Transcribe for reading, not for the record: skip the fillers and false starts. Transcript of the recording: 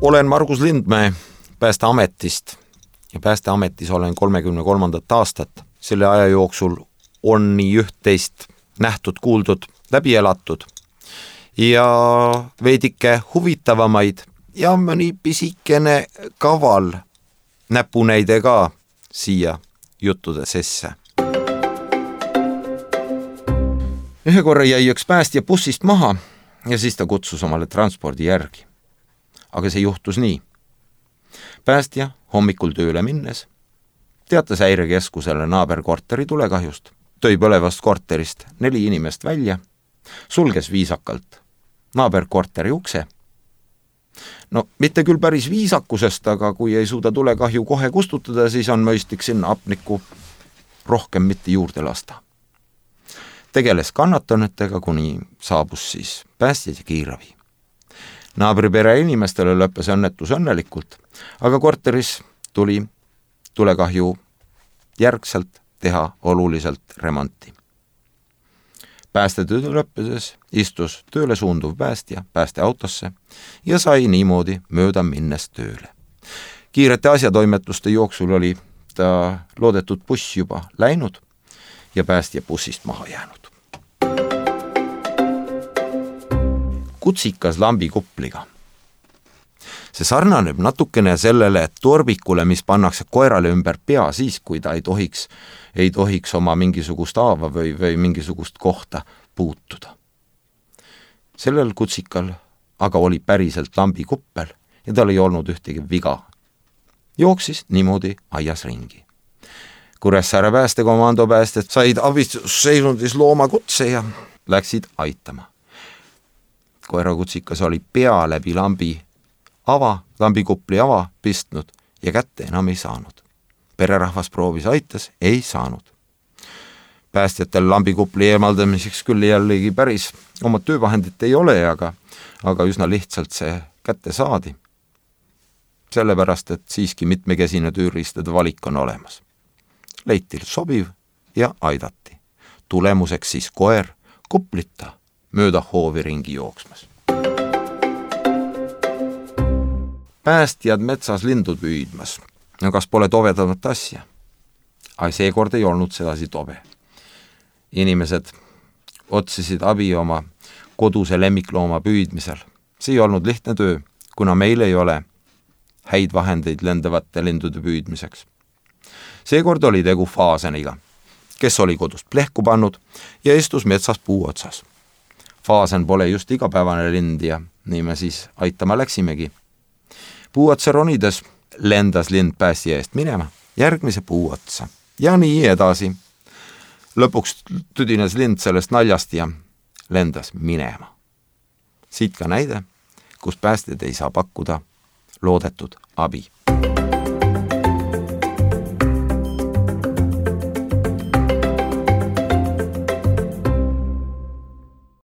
Olen Margus Lindmäe Päästeametist ja Päästeametis olen 33. aastat. Selle aja jooksul on nii üht-teist nähtud, kuuldud, läbi elatud ja veidike huvitavamaid ja mõni pisikene kaval näpunäide ka siia juttude sesse. Ühe korra jäi üks päästja bussist maha ja siis ta kutsus omale transpordi järgi. Aga see juhtus nii. Päästja hommikul tööle minnes teatas häirekeskusele naaberkorteri tulekahjust, tõi põlevast korterist 4 inimest välja, sulges viisakalt naaberkorteri ukse. No mitte küll päris viisakusest, aga kui ei suuda tulekahju kohe kustutada, siis on mõistlik sinna apnikku rohkem mitte juurde lasta. Tegeles kannatanutega, kuni saabus siis päästjad ja kiirabi. Naabripere inimestele lõppes õnnetus õnnelikult, aga korteris tuli tulekahju järgselt teha oluliselt remonti. Päästetöö lõppedes istus tööle suunduv päästja päästeautosse ja sai niimoodi mööda minnes tööle. Kiirete asjatoimetuste jooksul oli ta loodetud buss juba läinud ja päästja bussist maha jäänud. Kutsikas lambikupliga. See sarnaneb natukene sellele torbikule, mis pannakse koerale ümber pea siis, kui ta ei tohiks oma mingisugust haava või mingisugust kohta puutuda. Sellel kutsikal aga oli päriselt lambikuppel ja tal ei olnud ühtegi viga. Jooksis niimoodi aias ringi. Kuressaare päästekomando päästed said abistusseisundis loomakutse ja läksid aitama. Koerakutsikas oli pea läbi lambikupli ava pistnud ja kätte enam ei saanud. Pererahvas proovis aitas, ei saanud. Päästjatel lambikupli eemaldamiseks küll jällegi päris oma töövahendit ei ole, aga üsna lihtsalt see kätte saadi. Sellepärast, et siiski mitmekesine tööriistade valik on olemas. Leiti sobiv ja aidati. Tulemuseks siis koer kuplita mööda hoovi ringi jooksmas. Päästjad metsas lindu püüdmas. No kas pole tovedamat asja? Seekord ei olnud sedasi tobe. Inimesed otsisid abi oma koduse lemmiklooma püüdmisel. See ei olnud lihtne töö, kuna meil ei ole häid vahendeid lendavate lindude püüdmiseks. Seekord oli tegu faaseniga, kes oli kodust plehku pannud ja istus metsas puu otsas. Faasen pole just igapäevane lind ja nii me siis aitama läksimegi. Puu otsa ronides lendas lind päästja eest minema järgmise puu otsa ja nii edasi. Lõpuks tüdines lind sellest naljast ja lendas minema. Siit ka näide, kus päästjad ei saa pakkuda loodetud abi.